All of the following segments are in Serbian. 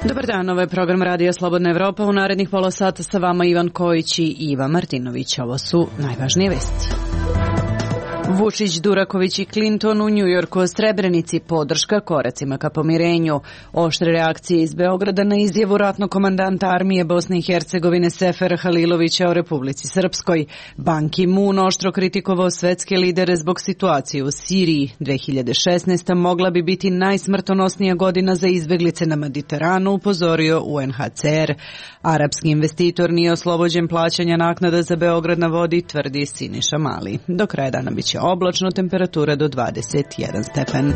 Dobar dan, ovo je program Radija Slobodna Evropa. U narednih pola sata sa vama Ivan Kojić i Iva Martinović. Ovo su najvažnije vesti. Vučić, Duraković i Clinton u Njujorku o Srebrenici, podrška koracima ka pomirenju. Oštre reakcije iz Beograda na izjavu ratnog komandanta armije Bosne i Hercegovine Sefera Halilovića o Republici Srpskoj. Ban Ki-moon oštro kritikovao svetske lidere zbog situacije u Siriji. 2016. mogla bi biti najsmrtonosnija godina za izbeglice na Mediteranu, upozorio UNHCR. Arapski investitor nije oslobođen plaćanja naknada za Beograd na vodi, tvrdi Siniša Mali. Do kraja dana biće oblačno, temperatura do 21 stepen.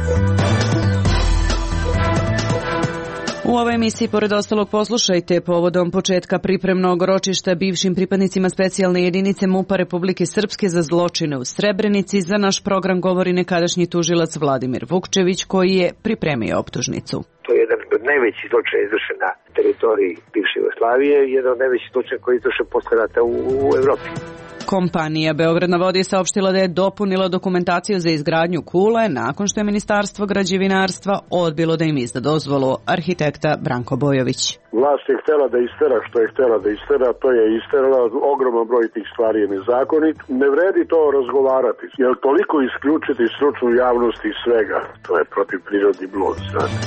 U ovoj emisiji, pored ostalog, poslušajte povodom početka pripremnog ročišta bivšim pripadnicima specijalne jedinice MUP-a Republike Srpske za zločine u Srebrenici. Za naš program govori nekadašnji tužilac Vladimir Vukčević, koji je pripremio optužnicu. To je jedan od najvećih zločina izvršen na teritoriji bivše Jugoslavije i jedan od najvećih zločina koji je izvršen posle rata u Evropi. Kompanija Beograd na vodi je saopštila da je dopunila dokumentaciju za izgradnju kule nakon što je Ministarstvo građevinarstva odbilo da im izda dozvolu. Arhitekta Branko Bojović. Vlast je htjela da istera što je htjela da istera, to je isterala, ogroman broj tih stvari je nezakonit. Ne vredi to razgovarati, jer toliko isključiti stručnu javnost iz svega, to je protiv prirodni blud, znate.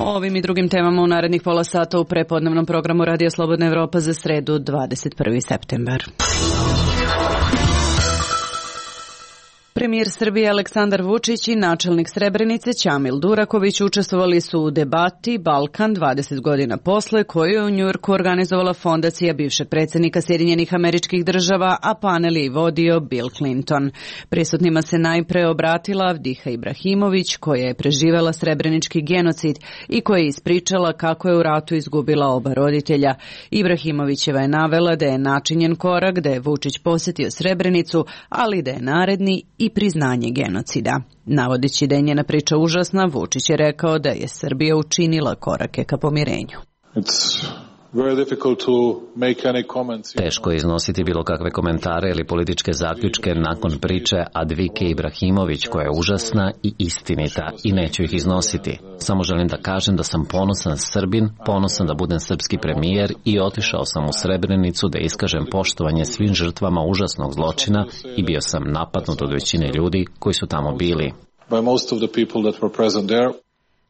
O ovim i drugim temama u narednih pola sata u prepodnevnom programu Radija Slobodna Evropa za sredu 21. septembar. Premijer Srbije Aleksandar Vučić i načelnik Srebrenice Ćamil Duraković učestvovali su u debati Balkan 20 godina posle, koju je u Njujorku organizovala fondacija bivšeg predsjednika Sjedinjenih Američkih Država, a panel je vodio Bill Clinton. Prisutnima se najpre obratila Avdiha Ibrahimović, koja je preživela srebrenički genocid i koja je ispričala kako je u ratu izgubila oba roditelja. Ibrahimovićeva je navela da je načinjen korak, da je Vučić posjetio Srebrenicu, ali da je naredni i priznanje genocida. Navodeći da je njena priča užasna, Vučić je rekao da je Srbija učinila korake ka pomirenju. Teško je iznositi bilo kakve komentare ili političke zaključke nakon priče Advike Ibrahimović, koja je užasna i istinita, i neću ih iznositi. Samo želim da kažem da sam ponosan Srbin, ponosan da budem srpski premijer i otišao sam u Srebrenicu da iskažem poštovanje svim žrtvama užasnog zločina i bio sam napadnut od većine ljudi koji su tamo bili.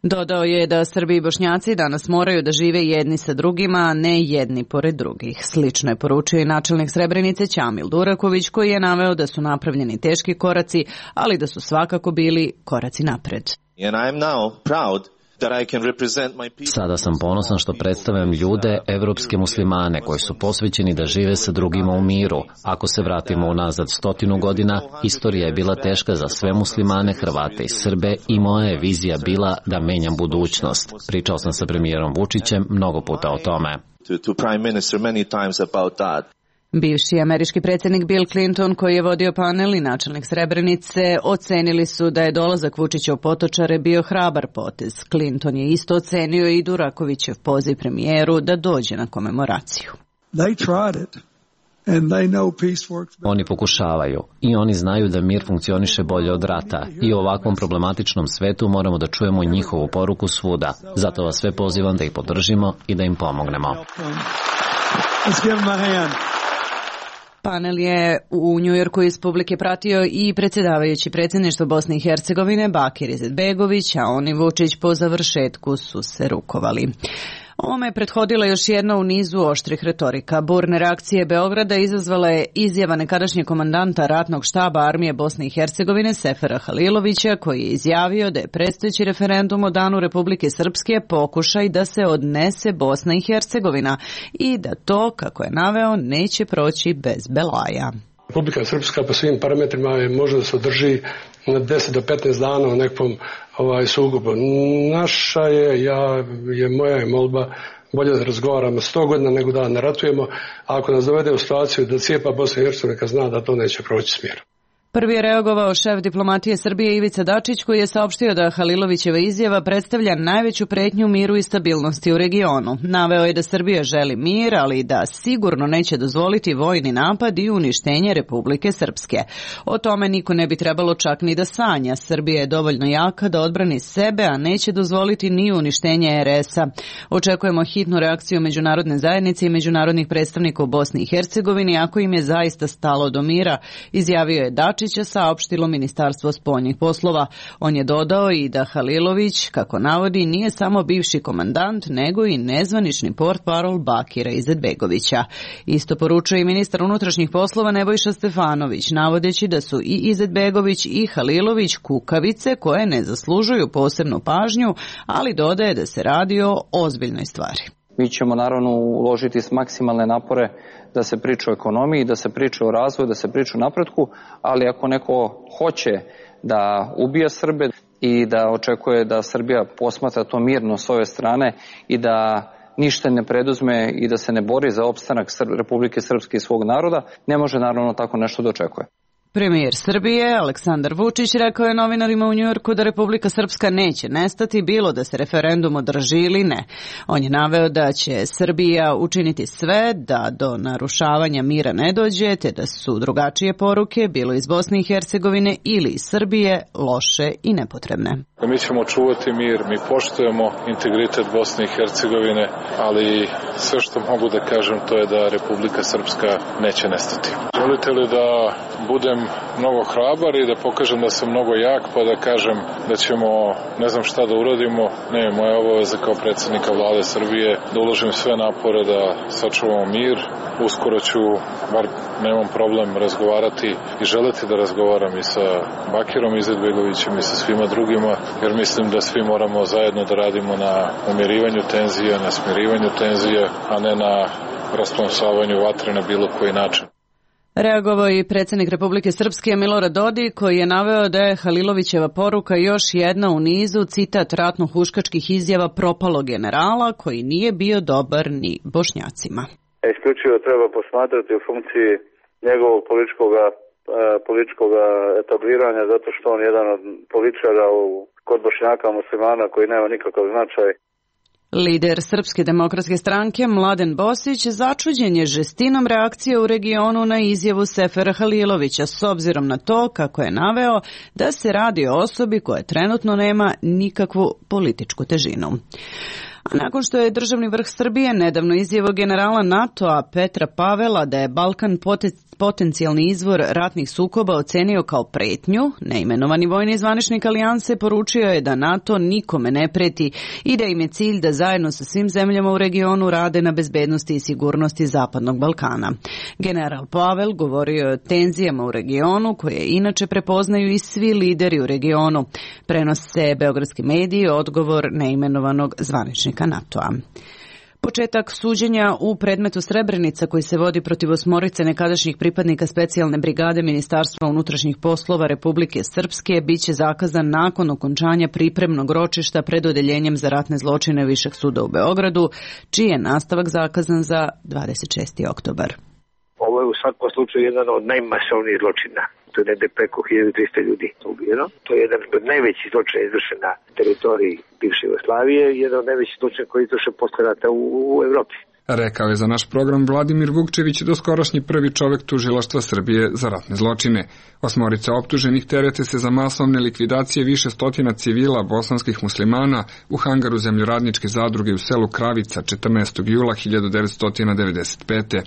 Dodao je da Srbi i Bošnjaci danas moraju da žive jedni sa drugima, a ne jedni pored drugih. Slično je poručio i načelnik Srebrenice Ćamil Duraković, koji je naveo da su napravljeni teški koraci, ali da su svakako bili koraci napred. Sada sam ponosan što predstavljam ljude, evropske muslimane, koji su posvećeni da žive sa drugima u miru. Ako se vratimo unazad 100 godina, istorija je bila teška za sve muslimane, Hrvate i Srbe, i moja je vizija bila da menjam budućnost. Pričao sam sa premijerom Vučićem mnogo puta o tome. Bivši američki predsjednik Bill Clinton, koji je vodio panel, i načelnik Srebrenice ocenili su da je dolazak Vučića u Potočare bio hrabar potez. Clinton je isto ocenio i Durakovićev poziv premijeru da dođe na komemoraciju. Oni pokušavaju i oni znaju da mir funkcioniše bolje od rata i u ovakvom problematičnom svetu moramo da čujemo njihovu poruku svuda. Zato vas sve pozivam da ih podržimo i da im pomognemo. Panel je u Njujorku iz publike pratio i predsjedavajući predsjedništva Bosne i Hercegovine Bakir Izetbegović, a on i Vučić po završetku su se rukovali. Ovome je prethodila još jedna u nizu oštrih retorika. Burne reakcije Beograda izazvala je izjava nekadašnjeg komandanta ratnog štaba armije Bosne i Hercegovine Sefera Halilovića, koji je izjavio da je predstojeći referendum o danu Republike Srpske pokušaj da se odnese Bosna i Hercegovina i da to, kako je naveo, neće proći bez belaja. Republika Srpska po svim parametrima može da se održi na 10 do 15 dana u nekom sukobu. Naša moja je molba bolje da razgovaramo 100 godina nego da ne ratujemo, a ako nas dovede u situaciju da cijepa Bosna i Hercegovina zna da to neće proći smjer. Prvi je reagovao šef diplomatije Srbije Ivica Dačić, koji je saopštio da Halilovićeva izjava predstavlja najveću pretnju miru i stabilnosti u regionu. Naveo je da Srbija želi mir, ali da sigurno neće dozvoliti vojni napad i uništenje Republike Srpske. O tome niko ne bi trebalo čak ni da sanja. Srbija je dovoljno jaka da odbrani sebe, a neće dozvoliti ni uništenje RS-a. Očekujemo hitnu reakciju međunarodne zajednice i međunarodnih predstavnika u Bosni i Hercegovini, ako im je zaista stalo do mira, izjavio je Dačić, saopštilo Ministarstvo spoljnih poslova. On je dodao i da Halilović, kako navodi, nije samo bivši komandant, nego i nezvanični portparol Bakira Izetbegovića. Isto poručuje i ministar unutrašnjih poslova Nebojša Stefanović, navodeći da su i Izetbegović i Halilović kukavice koje ne zaslužuju posebnu pažnju, ali dodaje da se radi o ozbiljnoj stvari. Mi ćemo naravno uložiti maksimalne napore da se priča o ekonomiji, da se priča o razvoju, da se priča o napretku, ali ako neko hoće da ubija Srbe i da očekuje da Srbija posmatra to mirno s ove strane i da ništa ne preduzme i da se ne bori za opstanak Republike Srpske i svog naroda, ne može naravno tako nešto da očekuje. Premijer Srbije Aleksandar Vučić rekao je novinarima u Njujorku da Republika Srpska neće nestati, bilo da se referendum održi ili ne. On je naveo da će Srbija učiniti sve da do narušavanja mira ne dođe, te da su drugačije poruke, bilo iz Bosne i Hercegovine ili iz Srbije, loše i nepotrebne. Mi ćemo čuvati mir, mi poštujemo integritet Bosne i Hercegovine, ali sve što mogu da kažem to je da Republika Srpska neće nestati. Želite li da budem mnogo hrabar i da pokažem da sam mnogo jak, pa da kažem da ćemo ne znam šta da uradimo? Ne, moja obaveza kao predsjednika vlade Srbije da uložim sve napore da sačuvamo mir. Uskoro ću, bar nemam problem, razgovarati i želeti da razgovaram i sa Bakirom Izetbegovićem i sa svima drugima, jer mislim da svi moramo zajedno da radimo na umirivanju tenzija, na smirivanju tenzija, a ne na rasplamsavanju vatre na bilo koji način. Reagovao i predsjednik Republike Srpske Milorad Dodik, koji je naveo da je Halilovićeva poruka još jedna u nizu, citat, ratno-huškačkih izjava propalog generala koji nije bio dobar ni Bošnjacima. Isključivo treba posmatrati u funkciji njegovog političkog etabliranja, zato što on je jedan od političara kod Bošnjaka muslimana koji nema nikakav značaj. Lider Srpske demokratske stranke Mladen Bosić začuđen je žestinom reakcije u regionu na izjavu Sefera Halilovića, s obzirom na to, kako je naveo, da se radi o osobi koja trenutno nema nikakvu političku težinu. A nakon što je državni vrh Srbije nedavno izjavio generala NATO-a Petra Pavela da je Balkan potencijalni izvor ratnih sukoba ocenio kao pretnju, neimenovani vojni zvaničnik alijanse poručio je da NATO nikome ne preti i da im je cilj da zajedno sa svim zemljama u regionu rade na bezbednosti i sigurnosti Zapadnog Balkana. General Pavel govorio je o tenzijama u regionu koje inače prepoznaju i svi lideri u regionu. Prenose beogradski mediji odgovor neimenovanog zvaničnika NATO-a. Početak suđenja u predmetu Srebrenica koji se vodi protiv 8 nekadašnjih pripadnika specijalne brigade Ministarstva unutrašnjih poslova Republike Srpske biće zakazan nakon okončanja pripremnog ročišta pred odeljenjem za ratne zločine Višeg suda u Beogradu, čiji je nastavak zakazan za 26. oktobar. Ovo je u svakom slučaju jedan od najmasovnijih zločina. To je negde preko 1300 ljudi ubijeno. To je jedan od najvećih zločina izvršen na teritoriji bivše Jugoslavije, jedan od najvećih zločina koji je izvršen posle rata u Evropi. Rekao je za naš program Vladimir Vukčević, doskorašnji prvi čovek tužilaštva Srbije za ratne zločine. 8 optuženih terete se za masovne likvidacije više stotina civila bosanskih muslimana u hangaru zemljoradničke zadruge u selu Kravica 14. jula 1995.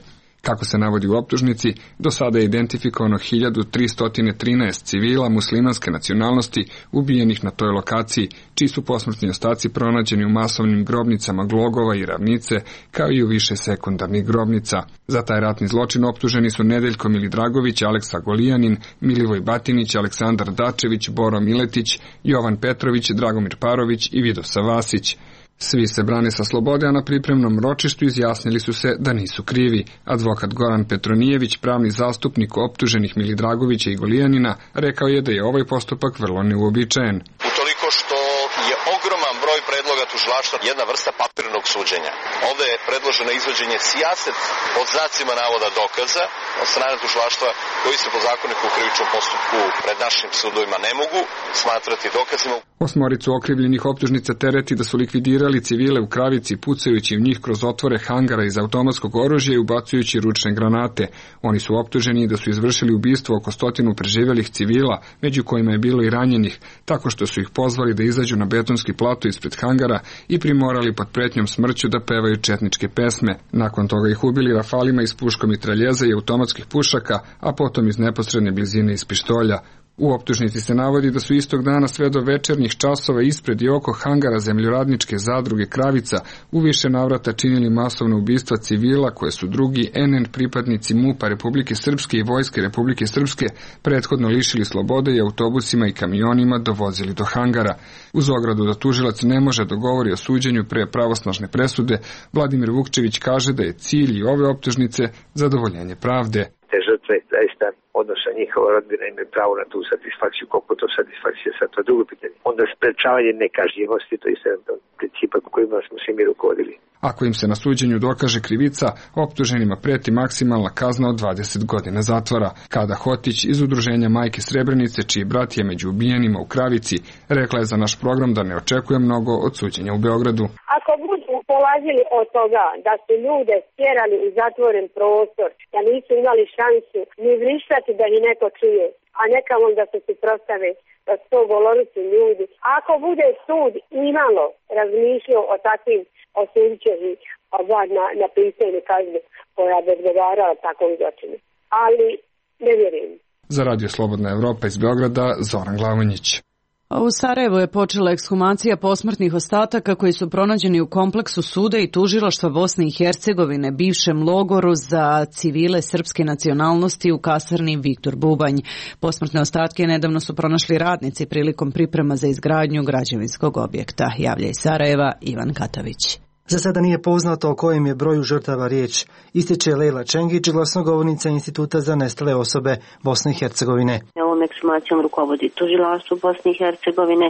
Kako se navodi u optužnici, do sada je identifikovano 1313 civila muslimanske nacionalnosti ubijenih na toj lokaciji, čiji su posmrtni ostaci pronađeni u masovnim grobnicama Glogova i Ravnice, kao i u više sekundarnih grobnica. Za taj ratni zločin optuženi su Nedeljko Milidragović, Aleksa Golijanin, Milivoj Batinić, Aleksandar Dačević, Boro Miletić, Jovan Petrović, Dragomir Parović i Vidosa Vasić. Svi se brane sa slobode, a na pripremnom ročištu izjasnili su se da nisu krivi. Advokat Goran Petronijević, pravni zastupnik optuženih Milidragovića i Golijanina, rekao je da je ovaj postupak vrlo neuobičajen. Utoliko što je ogroman broj predloga tužilaštva, jedna vrsta papirnog suđenja. Ovde je predloženo izvođenje sijaset od znacima navoda dokaza od strane tužilaštva koji se po zakoniku u krivičnom postupku pred našim sudovima ne mogu smatrati dokazima. Osmoricu okrivljenih optužnica tereti da su likvidirali civile u Kravici pucajući u njih kroz otvore hangara iz automatskog oružja i ubacujući ručne granate. Oni su optuženi da su izvršili ubistvo oko 100 preživjelih civila, među kojima je bilo i ranjenih, tako što su ih pozvali da izađu na betonski plato ispred hangara i primorali pod pretnjom smrću da pevaju četničke pesme. Nakon toga ih ubili rafalima iz puškomitraljeza i automatskih pušaka, a potom iz neposredne blizine iz pištolja. U optužnici se navodi da su istog dana sve do večernjih časova ispred i oko hangara zemljoradničke zadruge Kravica u više navrata činili masovna ubistva civila koje su drugi NN pripadnici MUP-a Republike Srpske i Vojske Republike Srpske prethodno lišili slobode i autobusima i kamionima dovozili do hangara. Uz ogradu da tužilac ne može dogovori o suđenju pre pravosnažne presude, Vladimir Vukčević kaže da je cilj i ove optužnice zadovoljenje pravde. Te žrtve zaista, odnosno njihova rodbina imaju pravo na tu satisfakciju, koliko to satisfakcija sad, to je drugo pitanje. Onda sprečavanje nekažnjivosti, to je jedan od principa kojima smo se mi rukovodili. Ako im se na suđenju dokaže krivica, optuženima preti maksimalna kazna od 20 godina zatvora. Kada Hotić iz udruženja Majke Srebrenice, čiji brat je među ubijenima u Kravici, rekla je za naš program da ne očekuje mnogo od suđenja u Beogradu. Ako budu polazili od toga da su ljude stjerali u zatvoren prostor, da nisu imali šansu ni vrištati da ih neko čuje, a nekamo da se suprotstave, da su to goloruci ljudi. Ako bude sud imalo razmišljao o takvim, osudit će ih na pisanje kazne koja bi odgovarala takvom zločinu. Ali ne vjerujem. Za Radio Slobodna Evropa iz Beograda, Zoran Glavonjić. U Sarajevu je počela ekshumacija posmrtnih ostataka koji su pronađeni u kompleksu suda i tužilaštva Bosne i Hercegovine, bivšem logoru za civile srpske nacionalnosti u kasarni Viktor Bubanj. Posmrtne ostatke nedavno su pronašli radnici prilikom priprema za izgradnju građevinskog objekta. Javlja iz Sarajeva Ivan Katavić. Za sada nije poznato o kojem je broju žrtava riječ, ističe Lejla Čengić, glasnogovornica Instituta za nestale osobe Bosne i Hercegovine. Ovom ekshumacijom rukovodi tužilaštvo Bosne i Hercegovine,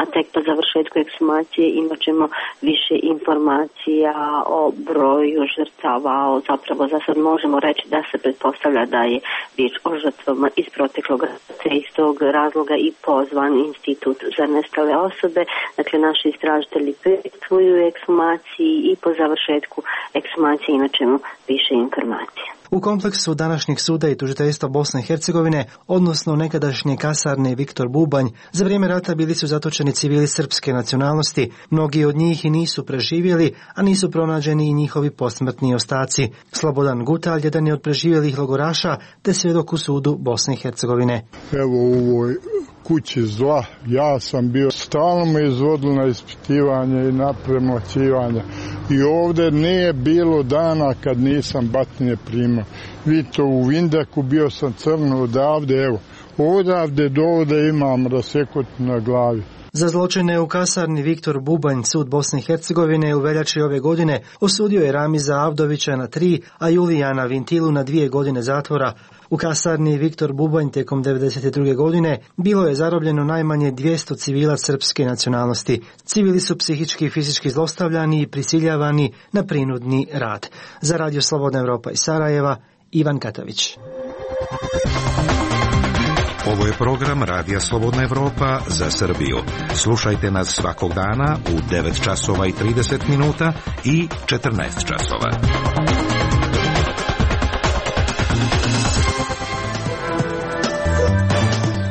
a tek po završetku ekshumacije imat ćemo više informacija o broju žrtava. Zapravo za sad možemo reći da se pretpostavlja da je riječ o žrtvama iz proteklog rata. Iz tog razloga i pozvan Institut za nestale osobe. Dakle, naši istražitelji prisustuju ekshumaciji i po završetku ekshumacije imat ćemo više informacija. U kompleksu današnjeg suda i tužiteljstva Bosne i Hercegovine, odnosno nekadašnje kasarne Viktor Bubanj, za vrijeme rata bili su zatočeni civili srpske nacionalnosti. Mnogi od njih i nisu preživjeli, a nisu pronađeni i njihovi posmrtni ostaci. Slobodan Gutalj, jedan je od preživjelih logoraša, te svjedok u sudu Bosne i Hercegovine. Evo u ovoj kući zla, ja sam bio, stalno me izvodilo na ispitivanje i na premlaćivanje. I ovdje nije bilo dana kad nisam batnje primao. Vidite, u Vindaku bio sam crno odavde, evo, odavde do ovdje imam rasekot na glavi. Za zločine u kasarni Viktor Bubanj sud Bosne i Hercegovine u veljači ove godine osudio je Ramiza Avdovića na 3, a Julijana Vintilu na 2 godine zatvora. U kasarni Viktor Bubanj tijekom 1992. godine bilo je zarobljeno najmanje 200 civila srpske nacionalnosti. Civili su psihički i fizički zlostavljani i prisiljavani na prinudni rad. Za Radio Slobodna Evropa iz Sarajeva, Ivan Katavić. Ovo je program Radija Slobodna Evropa za Srbiju. Slušajte nas svakog dana u 9 časova i 30 minuta i 14 časova.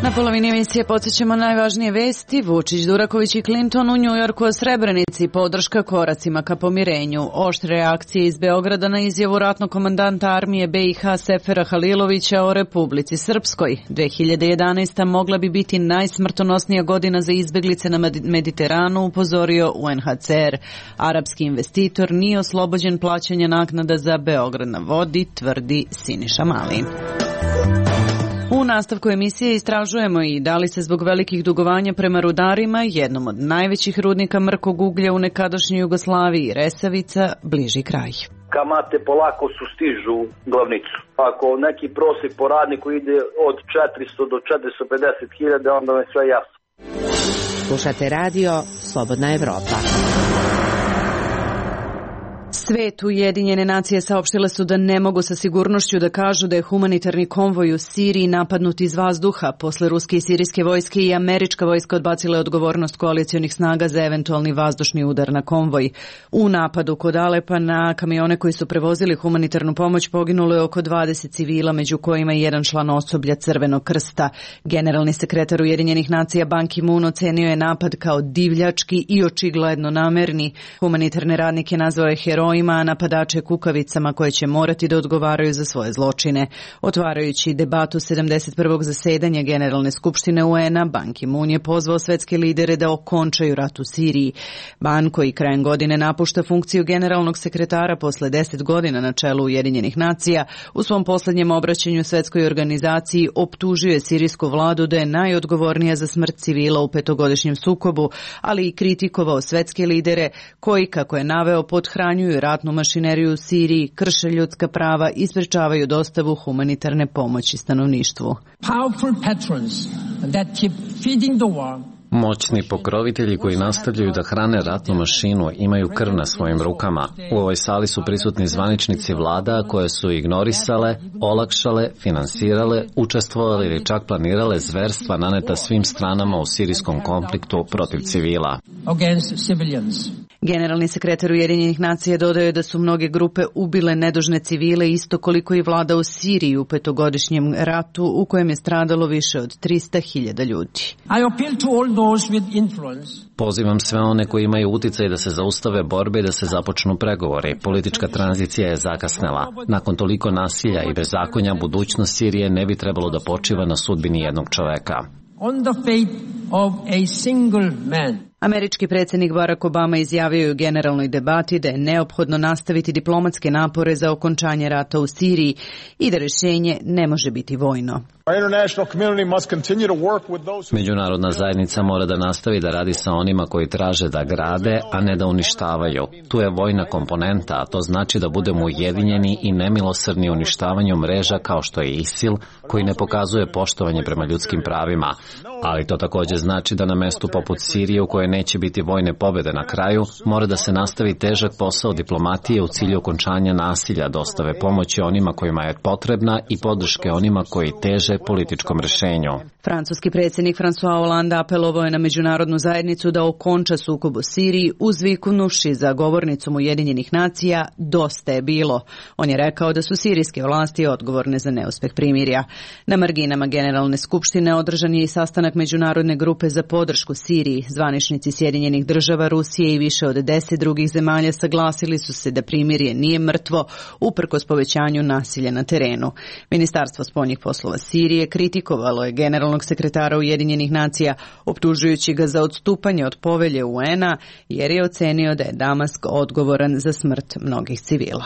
Na polovini emisije podsjećamo najvažnije vesti. Vučić, Duraković i Clinton u Njujorku o Srebrenici, podrška koracima ka pomirenju. Oštre reakcije iz Beograda na izjavu ratnog komandanta armije BiH Sefera Halilovića o Republici Srpskoj. 2011. mogla bi biti najsmrtonosnija godina za izbeglice na Mediteranu, upozorio UNHCR. Arapski investitor nije oslobođen plaćanja naknada za Beograd na vodi, tvrdi Siniša Mali. U nastavku emisije istražujemo i da li se zbog velikih dugovanja prema rudarima, jednom od najvećih rudnika mrkog uglja u nekadašnjoj Jugoslaviji, Resavica, bliži kraj. Kamate polako sustižu glavnicu. Ako neki prosjek po radniku ide od 400 do 450 hiljada, onda je sve jasno. Slušate radio Slobodna Evropa. Svet, Ujedinjene nacije saopštile su da ne mogu sa sigurnošću da kažu da je humanitarni konvoj u Siriji napadnut iz vazduha. Posle ruske i sirijske vojske i američka vojska odbacila je odgovornost koalicijonih snaga za eventualni vazdušni udar na konvoj. U napadu kod Alepa na kamione koji su prevozili humanitarnu pomoć poginulo je oko 20 civila, među kojima i jedan član osoblja Crvenog krsta. Generalni sekretar Ujedinjenih nacija Ban Ki-moon ocenio je napad kao divljački i očigledno namerni. Humanitarne radnike nazvao je herojima, a napadače kukavicama koje će morati da odgovaraju za svoje zločine. Otvarajući debatu 71. zasedanja Generalne skupštine UN-a, Ban Ki-moon je pozvao svetske lidere da okončaju rat u Siriji. Ban, koji krajem godine napušta funkciju generalnog sekretara posle 10 godina na čelu Ujedinjenih nacija, u svom poslednjem obraćanju svetskoj organizaciji optužio je sirijsku vladu da je najodgovornija za smrt civila u petogodišnjem sukobu, ali i kritikovao svetske lidere koji, kako je naveo, pothranjuju ratnu mašineriju u Siriji, krše ljudska prava i sprečavaju dostavu humanitarne pomoći stanovništvu. Moćni pokrovitelji koji nastavljaju da hrane ratnu mašinu imaju krv na svojim rukama. U ovoj sali su prisutni zvaničnici vlada koje su ignorisale, olakšale, finansirale, učestvovali ili čak planirale zverstva naneta svim stranama u sirijskom konfliktu protiv civila. Generalni sekretar Ujedinjenih nacija dodao je da su mnoge grupe ubile nedužne civile isto koliko i vlada u Siriji u petogodišnjem ratu u kojem je stradalo više od 300.000 ljudi. Pozivam sve one koji imaju uticaj da se zaustave borbe i da se započnu pregovori. Politička tranzicija je zakasnela. Nakon toliko nasilja i bezakonja, budućnost Sirije ne bi trebalo da počiva na sudbini jednog čoveka. Američki predsjednik Barack Obama izjavio je u generalnoj debati da je neophodno nastaviti diplomatske napore za okončanje rata u Siriji i da rješenje ne može biti vojno. Međunarodna zajednica mora da nastavi da radi sa onima koji traže da grade, a ne da uništavaju. Tu je vojna komponenta, a to znači da budemo ujedinjeni i nemilosrdni uništavanju mreža kao što je ISIL, koji ne pokazuje poštovanje prema ljudskim pravima. Ali to također znači da na mestu poput Sirije, u kojoj neće biti vojne pobjede na kraju, mora da se nastavi težak posao diplomatije u cilju okončanja nasilja, dostave pomoći onima kojima je potrebna i podrške onima koji teže političkom rješenju. Francuski predsjednik François Hollande apelovao je na međunarodnu zajednicu da okonča sukob u Siriji, uzviknuši za govornicom Ujedinjenih nacija dosta je bilo. On je rekao da su sirijske vlasti odgovorne za neuspeh primirja. Na marginama Generalne skupštine održan je i sastanak međunarodne grupe za podršku Siriji. Zvaničnici Sjedinjenih država, Rusije i više od 10 drugih zemalja saglasili su se da primirje nije mrtvo uprkos povećanju nasilja na terenu. Ministarstvo spoljnih poslova Sirije kritikovalo je generalnog sekretara Ujedinjenih nacija, optužujući ga za odstupanje od povelje UN-a jer je ocenio da je Damask odgovoran za smrt mnogih civila.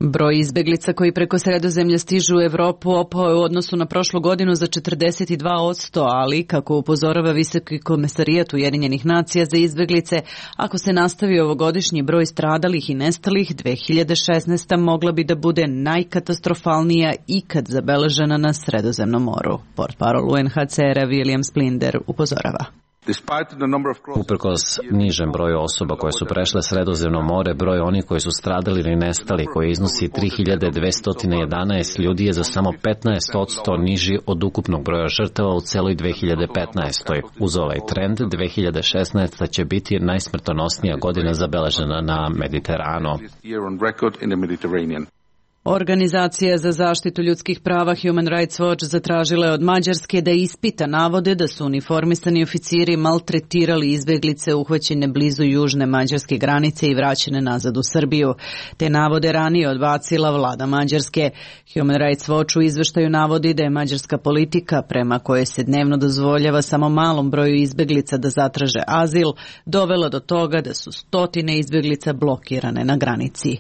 Broj izbeglica koji preko Sredozemlja stižu u Evropu opao je u odnosu na prošlu godinu za 42%, ali, kako upozorava Visoki komesarijat Ujedinjenih nacija za izbeglice, ako se nastavi ovogodišnji broj stradalih i nestalih, 2016. mogla bi da bude najkatastrofalnija ikad zabeležena na Sredozemnom moru. Portparol UNHCR-a William Splinder upozorava. Uprkos nižem broju osoba koje su prešle Sredozemno more, broj onih koji su stradali ili nestali, koji iznosi 3211 ljudi, je za samo 15% niži od ukupnog broja žrtava u celoj 2015. Uz ovaj trend, 2016. će biti najsmrtonosnija godina zabeležena na Mediteranu. Organizacija za zaštitu ljudskih prava Human Rights Watch zatražila je od Mađarske da ispita navode da su uniformisani oficiri maltretirali izbeglice uhvaćene blizu južne mađarske granice i vraćene nazad u Srbiju. Te navode ranije odbacila vlada Mađarske. Human Rights Watch u izveštaju navodi da je mađarska politika, prema kojoj se dnevno dozvoljava samo malom broju izbeglica da zatraže azil, dovela do toga da su stotine izbeglica blokirane na granici.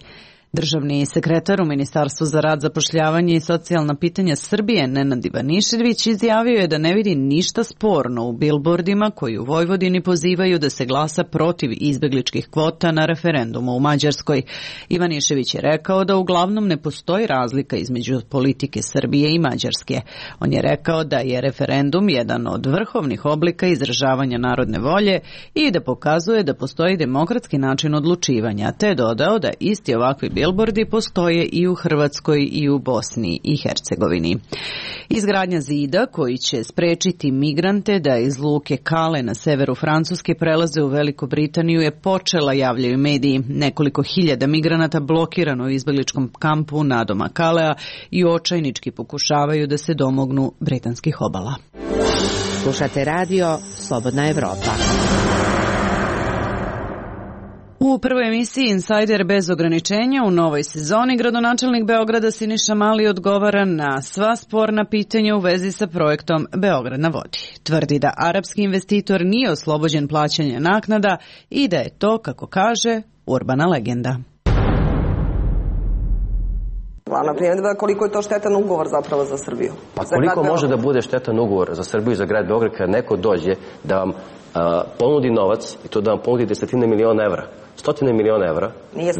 Državni sekretar u Ministarstvu za rad, zapošljavanje i socijalna pitanja Srbije Nenad Ivanišević izjavio je da ne vidi ništa sporno u bilbordima koji u Vojvodini pozivaju da se glasa protiv izbegličkih kvota na referendumu u Mađarskoj. Ivanišević je rekao da uglavnom ne postoji razlika između politike Srbije i Mađarske. On je rekao da je referendum jedan od vrhovnih oblika izražavanja narodne volje i da pokazuje da postoji demokratski način odlučivanja, te dodao da isti ovakvi bilbordi postoje i u Hrvatskoj i u Bosni i Hercegovini. Izgradnja zida koji će sprečiti migrante da iz luke Kale na severu Francuske prelaze u Veliku Britaniju je počela, javljaju mediji. Nekoliko hiljada migranata blokirano u izbegličkom kampu nadoma Kalea i očajnički pokušavaju da se domognu britanskih obala. Slušate radio Slobodna Evropa. U prvoj emisiji Insider bez ograničenja u novoj sezoni gradonačelnik Beograda Siniša Mali odgovara na sva sporna pitanja u vezi sa projektom Beograd na vodi. Tvrdi da arapski investitor nije oslobođen plaćanja naknada i da je to, kako kaže, urbana legenda. Glavna primjedba je koliko je to štetan ugovor zapravo za Srbiju. Pa koliko može da bude štetan ugovor za Srbiju i za grad Beograd kada neko dođe da vam ponudi novac i to da vam ponudi 10 miliona evra. 100 miliona evra,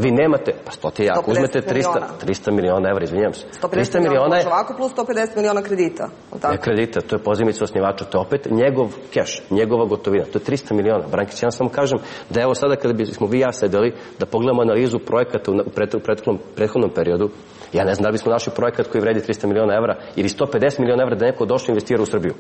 vi nemate, pa 100 je ako uzmete 300 miliona evra, izvinjam se. 150 miliona može ovako plus 150 miliona kredita. Ne kredita, to je pozajmica osnivača, to je opet njegov keš, njegova gotovina, to je 300 miliona. Brankić, ja samo kažem da evo sada kada bismo vi i ja sedeli, da pogledamo analizu projekata u prethodnom periodu, ja ne znam da li bismo našli projekat koji vredi 300 miliona evra ili 150 miliona evra da neko došao investira u Srbiju.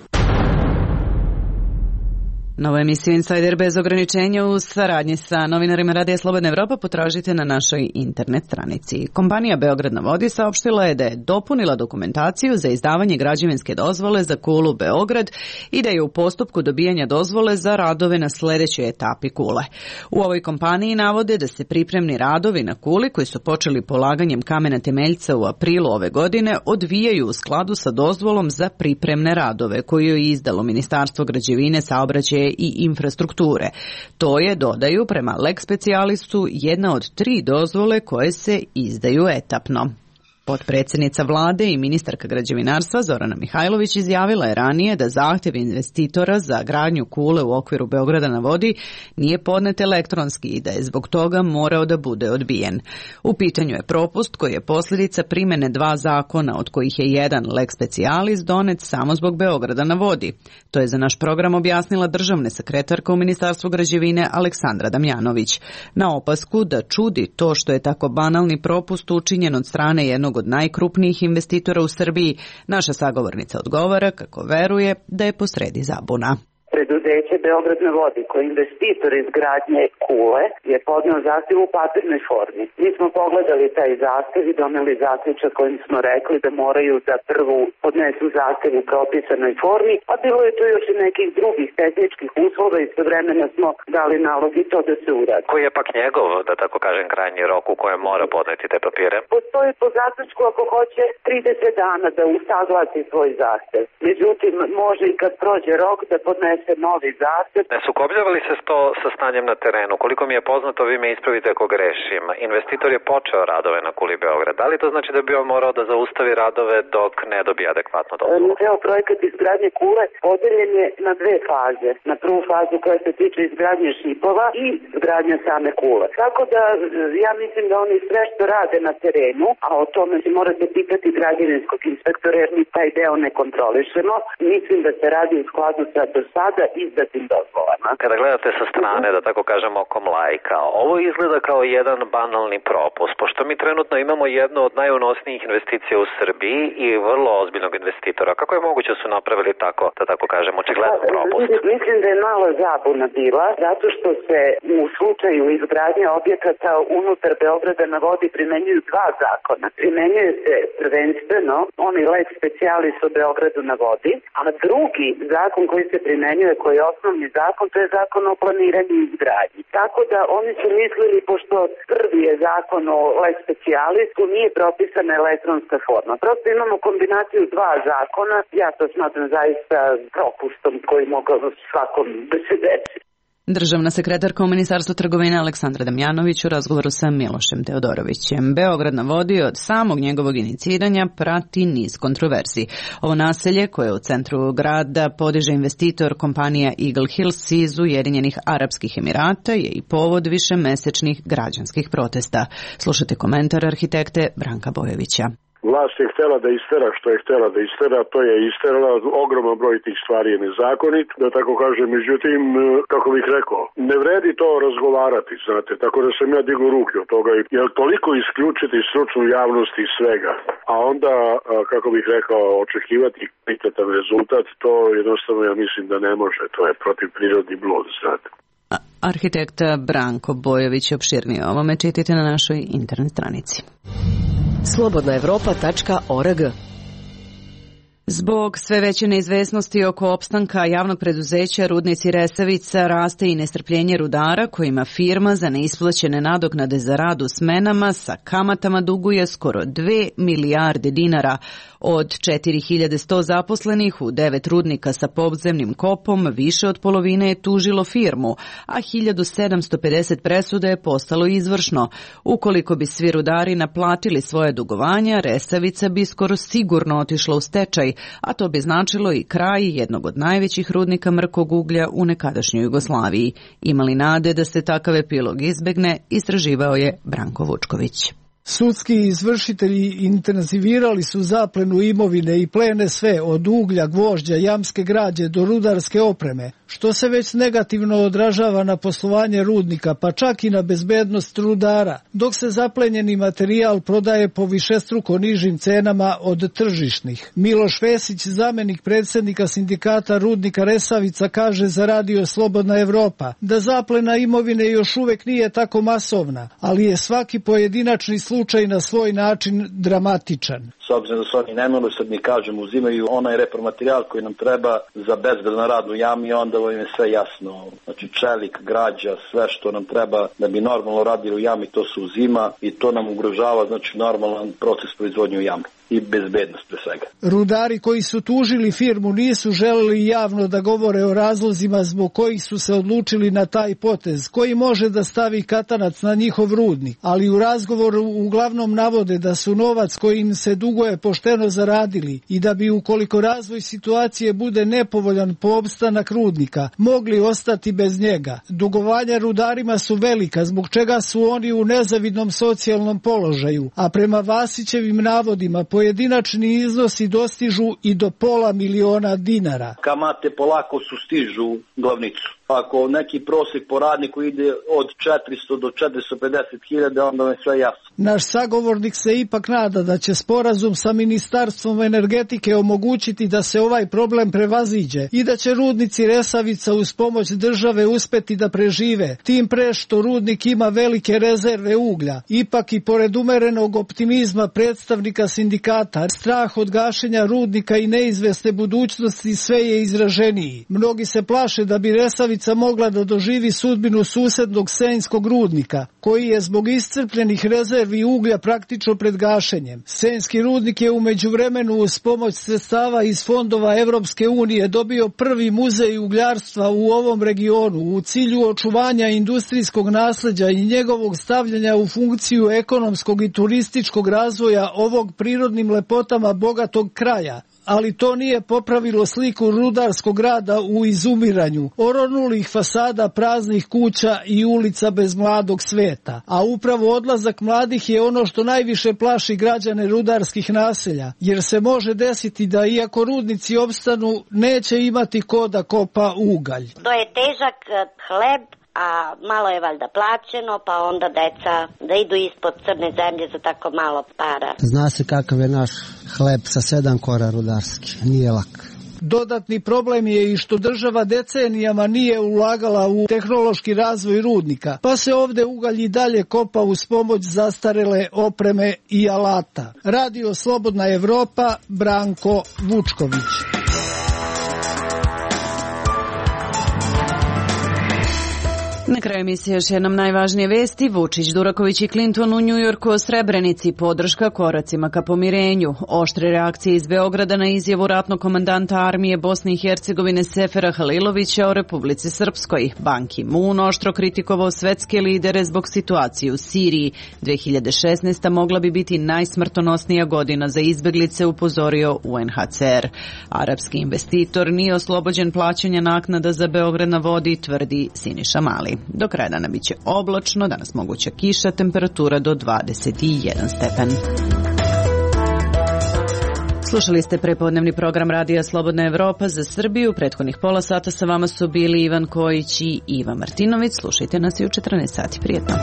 Novu emisiju Insider bez ograničenja u saradnji sa novinarima Radija Slobodna Evropa potražite na našoj internet stranici. Kompanija Beograd na vodi saopštila je da je dopunila dokumentaciju za izdavanje građevinske dozvole za kulu Beograd i da je u postupku dobijanja dozvole za radove na sledećoj etapi kule. U ovoj kompaniji navode da se pripremni radovi na kuli koji su počeli polaganjem kamena temeljca u aprilu ove godine odvijaju u skladu sa dozvolom za pripremne radove koju je izdalo Ministarstvo građevine, saobraćaja i infrastrukture. To je, dodaju, prema lex specijalistu jedna od 3 dozvole koje se izdaju etapno. Potpredsjednica vlade i ministarka građevinarstva Zorana Mihajlović izjavila je ranije da zahtjev investitora za gradnju kule u okviru Beograda na vodi nije podnet elektronski i da je zbog toga morao da bude odbijen. U pitanju je propust koji je posljedica primjene 2 zakona, od kojih je jedan lex specialis donet samo zbog Beograda na vodi. To je za naš program objasnila državna sekretarka u Ministarstvu građevine Aleksandra Damjanović. Na opasku da čudi to što je tako banalni propust učinjen od strane jednog od najkrupnijih investitora u Srbiji, naša sagovornica odgovara kako veruje da je posredi zabuna. Preduzeće Beograd na vodi, koji je investitor izgradnje kule, je podneo zahtjev u papirnoj formi. Mi smo pogledali taj zahtjev i doneli zaključak kojim smo rekli da moraju da prvo podnesu zahtjev u propisanoj formi, a bilo je tu još i nekih drugih tehničkih uslova i istovremeno smo dali nalog i to da se uradi. Koji je pak njegov, da tako kažem, krajnji rok u kojem mora podneti te papire? Postoji po zaključku ako hoće 30 dana da usaglasi svoj zahtjev. Međutim, može i kad prođe rok da podnese novi zahtjev. Ne sukobljava li se to sa stanjem na terenu? Koliko mi je poznato, vi me ispravite ako grešim. Investitor je počeo radove na kuli Beograd. Da li to znači da bi on morao da zaustavi radove dok ne dobije adekvatno dozvolu? Ceo projekat izgradnje kule podeljen je na 2 faze. Na prvu fazu koja se tiče izgradnje šipova i izgradnja same kule. Tako da ja mislim da oni sve što rade na terenu, a o tome se morate pitati građevinskog inspektora jer mi taj deo ne kontrolišemo, mislim da se radi u skladu sa do sada izdatim dozvolama. Kada gledate sa strane, da tako kažemo, okom lajka, ovo izgleda kao jedan banalni propust, pošto mi trenutno imamo jednu od najunosnijih investicija u Srbiji i vrlo ozbiljnog investitora. Kako je moguće da su napravili tako, da tako kažemo, očigledan propust? Mislim da je malo zabuna bila, zato što se u slučaju izgradnje objekata unutar Beograda na vodi primenjuju 2 zakona. Primenjuje se prvenstveno onaj lex specialis o Beogradu na vodi, a drugi zakon koji se primenjuje, koji je osnovni zakon, to je zakon o planiranju i izgradnji. Tako da oni su mislili, pošto prvi je zakon o lex specialisu, nije propisana elektronska forma. Prosto imamo kombinaciju 2 zakona, ja to smatram zaista propustom koji mogao svakom da se desi. Državna sekretarka u Ministarstvu trgovine Aleksandra Damjanović u razgovoru sa Milošem Teodorovićem. Beograd na vodi od samog njegovog iniciranja prati niz kontroverzi. Ovo naselje, koje je u centru grada podiže investitor kompanija Eagle Hills iz Ujedinjenih Arapskih Emirata, je i povod višemesečnih građanskih protesta. Slušajte komentar arhitekte Branka Bojevića. Vlast je htjela da istera što je htjela da istera, to je isterala, ogroman broj tih stvari je nezakonit, da tako kažem, međutim, kako bih rekao, ne vredi to razgovarati, znate, tako da sam ja digao ruke od toga, jer toliko isključiti stručnu javnost iz svega, a onda, kako bih rekao, očekivati kvalitetan rezultat, to jednostavno ja mislim da ne može, to je protiv prirodni blud, znate. Arhitekta Branko Bojević, opširnije o ovome čitajte na našoj internet stranici. slobodnaevropa.org. Zbog sve veće neizvesnosti oko opstanka javnog preduzeća Rudnici Resavica raste i nestrpljenje rudara kojima firma za neisplaćene nadoknade za rad u smenama sa kamatama duguje skoro 2 milijarde dinara. Od 4100 zaposlenih u 9 rudnika sa podzemnim kopom više od polovine je tužilo firmu, a 1750 presuda je postalo izvršno. Ukoliko bi svi rudari naplatili svoje dugovanja, Resavica bi skoro sigurno otišla u stečaj, a to bi značilo i kraj jednog od najvećih rudnika mrkog uglja u nekadašnjoj Jugoslaviji. Imali nade da se takav epilog izbegne, istraživao je Branko Vučković. Sudski izvršitelji intenzivirali su zaplenu imovine i plene sve od uglja, gvožđa, jamske građe do rudarske opreme, što se već negativno odražava na poslovanje rudnika, pa čak i na bezbednost rudara, dok se zaplenjeni materijal prodaje po višestruko nižim cenama od tržišnih. Miloš Vesić, zamenik predsjednika sindikata rudnika Resavica, kaže za Radio Slobodna Evropa da zaplena imovine još uvek nije tako masovna, ali je svaki pojedinačni slučaj na svoj način dramatičan. S obzirom da su oni nemilosrdni, kažem, uzimaju onaj repromaterijal koji nam treba za bezbedan rad u jami, onda im je sve jasno. Znači čelik, građa, sve što nam treba da bi normalno radili u jami, to se uzima i to nam ugrožava, znači, normalan proces proizvodnje u jami i bezbednost pre svega. Rudari koji su tužili firmu nisu želeli javno da govore o razlozima zbog kojih su se odlučili na taj potez, koji može da stavi katanac na njihov rudnik, ali u razgovoru uglavnom navode da su novac koji im se duguje pošteno zaradili i da bi, ukoliko razvoj situacije bude nepovoljan po opstanak rudnika, mogli ostati bez njega. Dugovanja rudarima su velika, zbog čega su oni u nezavidnom socijalnom položaju, a prema Vasićevim navodima pojedinačni iznosi dostižu i do $500.000 dinara. Kamate polako sustižu glavnicu. Ako neki prosjek po radniku ide od 400 do 450.000, onda je sve jasno. Naš sagovornik se ipak nada da će sporazum sa Ministarstvom energetike omogućiti da se ovaj problem prevaziđe i da će rudnici Resavica uz pomoć države uspeti da prežive, tim pre što rudnik ima velike rezerve uglja. Ipak i pored umerenog optimizma predstavnika sindikata, strah od gašenja rudnika i neizvesne budućnosti sve je izraženiji. Mnogi se plaše da bi Resavica mogla da doživi sudbinu susednog Senjskog rudnika, koji je zbog iscrpljenih rezervi uglja praktično pred gašenjem. Senjski rudnik je u međuvremenu uz pomoć sredstava iz fondova Evropske unije dobio prvi muzej ugljarstva u ovom regionu u cilju očuvanja industrijskog nasleđa i njegovog stavljanja u funkciju ekonomskog i turističkog razvoja ovog prirodnim lepotama bogatog kraja. Ali to nije popravilo sliku rudarskog grada u izumiranju, oronulih fasada, praznih kuća i ulica bez mladog sveta. A upravo odlazak mladih je ono što najviše plaši građane rudarskih naselja, jer se može desiti da iako rudnici opstanu, neće imati ko da kopa ugalj. To je težak hleb, a malo je valjda plaćeno, pa onda deca da idu ispod crne zemlje za tako malo para. Zna se kakav je naš hleb sa 7 kora rudarski, nije lak. Dodatni problem je i što država decenijama nije ulagala u tehnološki razvoj rudnika, pa se ovde ugalj i dalje kopa uz pomoć zastarele opreme i alata. Radio Slobodna Evropa, Branko Vučković. Na kraju emisije još jednom najvažnije vesti. Vučić, Duraković i Clinton u Njujorku o Srebrenici, podrška koracima ka pomirenju. Oštre reakcije iz Beograda na izjavu ratnog komandanta armije Bosne i Hercegovine Sefera Halilovića o Republici Srpskoj. Ban Ki-moon oštro kritikovao svetske lidere zbog situacije u Siriji. 2016. mogla bi biti najsmrtonosnija godina za izbeglice, upozorio UNHCR. Arapski investitor nije oslobođen plaćanja naknada za Beograd na vodi, tvrdi Siniša Mali. Do kraja dana biće oblačno, danas moguća kiša, temperatura do 21 stepen. Slušali ste prepodnevni program Radija Slobodna Evropa za Srbiju. Prethodnih pola sata sa vama su bili Ivan Kojić i Iva Martinović. Slušajte nas i u 14 sati. Prijetno.